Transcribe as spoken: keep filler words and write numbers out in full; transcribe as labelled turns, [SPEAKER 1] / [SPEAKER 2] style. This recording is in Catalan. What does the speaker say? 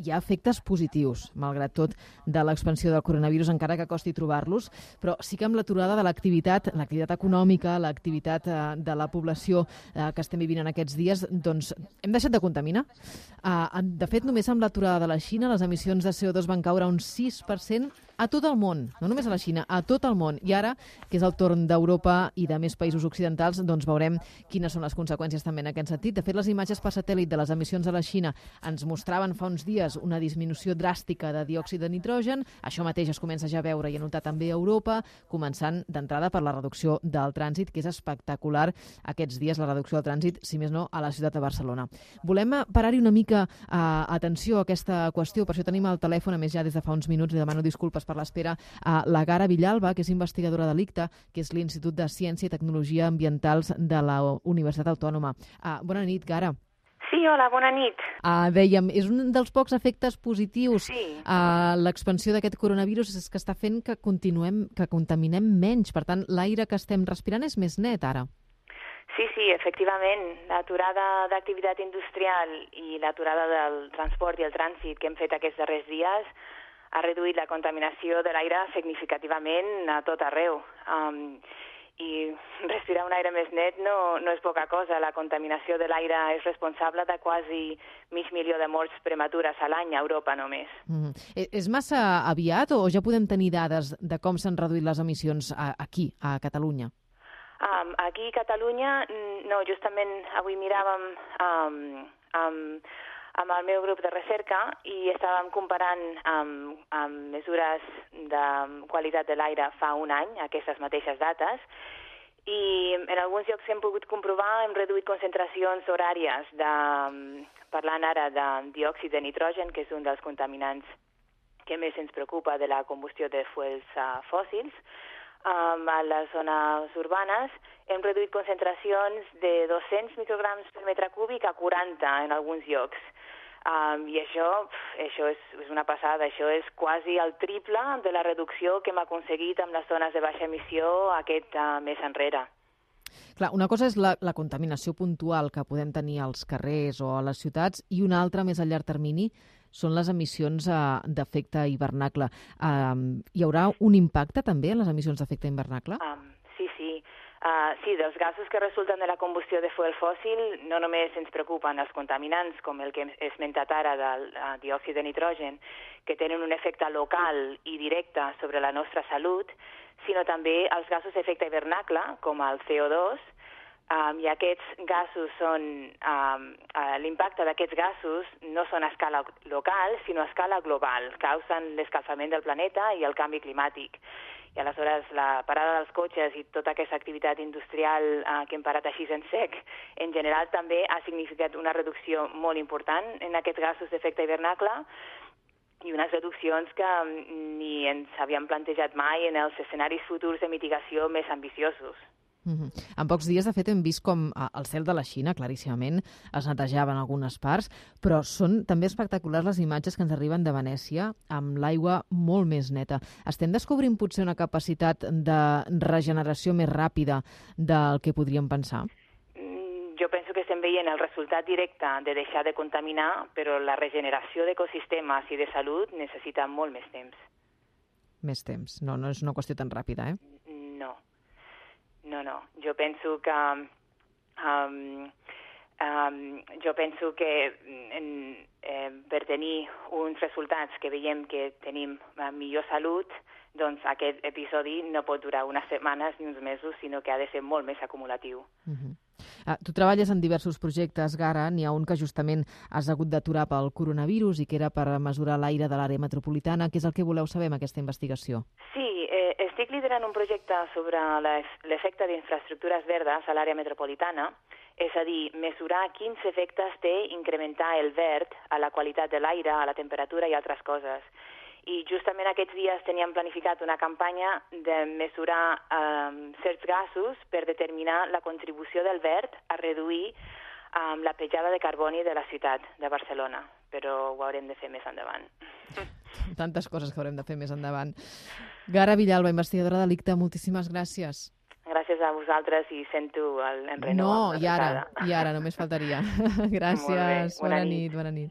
[SPEAKER 1] Hi ha efectes positius, malgrat tot, de l'expansió del coronavirus, encara que costi trobar-los, però sí que amb l'aturada de l'activitat, l'activitat econòmica, l'activitat eh, de la població eh, que estem vivint en aquests dies, doncs hem deixat de contaminar. Eh, de fet, només amb l'aturada de la Xina, les emissions de C O dos van caure un sis per cent a tot el món, no només a la Xina, a tot el món. I ara, que és el torn d'Europa i de més països occidentals, doncs veurem quines són les conseqüències també en aquest sentit. De fet, les imatges per satèl·lit de les emissions de la Xina ens mostraven fa uns dies una disminució dràstica de diòxid de nitrogen. Això mateix es comença ja a veure i a notar també a Europa, començant d'entrada per la reducció del trànsit, que és espectacular aquests dies, la reducció del trànsit, si més no, a la ciutat de Barcelona. Volem parar-hi una mica eh, atenció a aquesta qüestió, per això tenim al telèfon, a més ja des de fa uns minuts, li demano disculpes per l'espera, a la Gara Villalba, que és investigadora de l'I C T A, que és l'Institut de Ciència i Tecnologia Ambientals de la Universitat Autònoma. Uh, bona nit, Gara.
[SPEAKER 2] Sí, hola, bona nit.
[SPEAKER 1] Uh, dèiem, és un dels pocs efectes positius.
[SPEAKER 2] Sí.
[SPEAKER 1] Uh, l'expansió d'aquest coronavirus és que està fent que continuem, que contaminem menys. Per tant, l'aire que estem respirant és més net ara.
[SPEAKER 2] Sí, sí, efectivament. L'aturada d'activitat industrial i l'aturada del transport i el trànsit que hem fet aquests darrers dies ha reduït la contaminació de l'aire significativament a tot arreu. Um, I respirar un aire més net no, no és poca cosa. La contaminació de l'aire és responsable de quasi mig milió de morts prematures a l'any a Europa només.
[SPEAKER 1] Mm. És massa aviat o ja podem tenir dades de com s'han reduït les emissions aquí, a Catalunya?
[SPEAKER 2] Um, aquí a Catalunya, no, justament avui miràvem um, um, amb el meu grup de recerca i estàvem comparant amb, amb mesures de qualitat de l'aire fa un any, aquestes mateixes dates, i en alguns llocs hem pogut comprovar, hem reduït concentracions horàries, de, parlant ara de diòxid de nitrogen, que és un dels contaminants que més ens preocupa de la combustió de fuels uh, fòssils. Um, a les zones urbanes hem reduït concentracions de dos-cents micrograms per metre cúbic a quaranta en alguns llocs. Um, I això, això és, és una passada, això és quasi el triple de la reducció que hem aconseguit amb les zones de baixa emissió aquest uh, mes enrere.
[SPEAKER 1] Clar, una cosa és la, la contaminació puntual que podem tenir als carrers o a les ciutats i una altra més a llarg termini són les emissions uh, d'efecte hivernacle. Uh, hi haurà un impacte també en les emissions d'efecte hivernacle?
[SPEAKER 2] Um, sí, sí. Uh, sí, dels gasos que resulten de la combustió de fuel fòssil no només ens preocupen els contaminants, com el que he esmentat ara del uh, diòxid de nitrogen, que tenen un efecte local i directe sobre la nostra salut, sinó també els gasos d'efecte hivernacle, com el C O dos, um, i aquests gasos són, um, uh, l'impacte d'aquests gasos no són a escala local, sinó a escala global, causen l'escalfament del planeta i el canvi climàtic. I aleshores la parada dels cotxes i tota aquesta activitat industrial eh, que hem parat així en sec, en general també ha significat una reducció molt important en aquests gasos d'efecte hivernacle i unes reduccions que ni ens havíem plantejat mai en els escenaris futurs de mitigació més ambiciosos.
[SPEAKER 1] Mm-hmm. En pocs dies, de fet, hem vist com el cel de la Xina, claríssimament, es netejava en algunes parts, però són també espectaculars les imatges que ens arriben de Venècia amb l'aigua molt més neta. Estem descobrint potser una capacitat de regeneració més ràpida del que podríem pensar?
[SPEAKER 2] Mm, jo penso que estem veient el resultat directe de deixar de contaminar, però la regeneració d'ecosistemes i de salut necessita molt més temps.
[SPEAKER 1] Més temps. No, no és una qüestió tan ràpida, eh?
[SPEAKER 2] No. No, no. Jo penso que um, um, jo penso que en, eh, per tenir uns resultats que veiem que tenim millor salut, doncs aquest episodi no pot durar unes setmanes ni uns mesos, sinó que ha de ser molt més acumulatiu.
[SPEAKER 1] Uh-huh. Uh, tu treballes en diversos projectes, Gara. N'hi ha un que justament has hagut d'aturar pel coronavirus i que era per mesurar l'aire de l'àrea metropolitana. Què és el que voleu saber amb aquesta investigació?
[SPEAKER 2] Sí, eh, estic liderant un projecte sobre l'efecte d'infraestructures verdes a l'àrea metropolitana, és a dir, mesurar quins efectes té incrementar el verd a la qualitat de l'aire, a la temperatura i altres coses. I justament aquests dies teníem planificat una campanya de mesurar um, certs gasos per determinar la contribució del verd a reduir um, la petjada de carboni de la ciutat de Barcelona, però ho haurem de fer més endavant.
[SPEAKER 1] Tantes coses que haurem de fer més endavant. Gara Villalba, investigadora de l'I C T A, moltíssimes gràcies.
[SPEAKER 2] Gràcies a vosaltres i sento el enrenou.
[SPEAKER 1] No, i ara, i ara, només faltaria. Gràcies,
[SPEAKER 2] Molt bé, bona,
[SPEAKER 1] bona
[SPEAKER 2] nit.
[SPEAKER 1] nit, bona nit.